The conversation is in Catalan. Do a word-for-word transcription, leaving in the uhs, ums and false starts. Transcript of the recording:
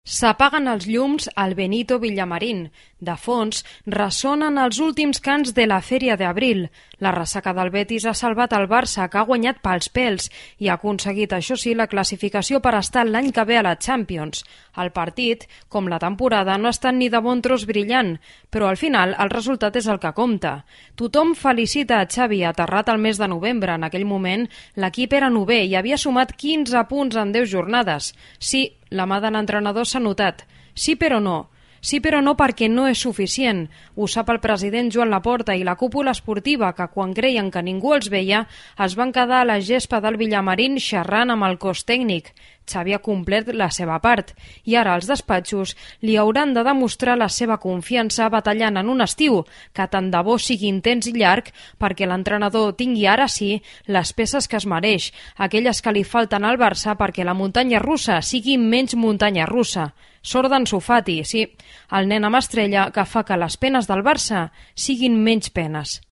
S'apaguen els llums al Benito Villamarín. De fons, ressonen els últims cants de la Fèria d'Abril. La ressaca del Betis ha salvat el Barça, que ha guanyat pels pèls i ha aconseguit, això sí, la classificació per estar l'any que ve a la Champions. El partit, com la temporada, no ha estat ni de bon tros brillant, però al final el resultat és el que compta. Tothom felicita a Xavi, aterrat al mes de novembre. En aquell moment, l'equip era novè i havia sumat quinze punts en deu jornades. Sí, la mà de l'entrenador s'ha notat. Sí, però no. Sí, però no perquè no és suficient. Ho sap el president Joan Laporta i la cúpula esportiva, que quan creien que ningú els veia, es van quedar a la gespa del Villamarín xerrant amb el cos tècnic. Xavi ha complert la seva part i ara els despatxos li hauran de demostrar la seva confiança batallant en un estiu que tant de bo sigui intens i llarg perquè l'entrenador tingui ara sí les peces que es mereix, aquelles que li falten al Barça perquè la muntanya russa sigui menys muntanya russa. Sort d'Ansu Fati, sí, el nen amb estrella que fa que les penes del Barça siguin menys penes.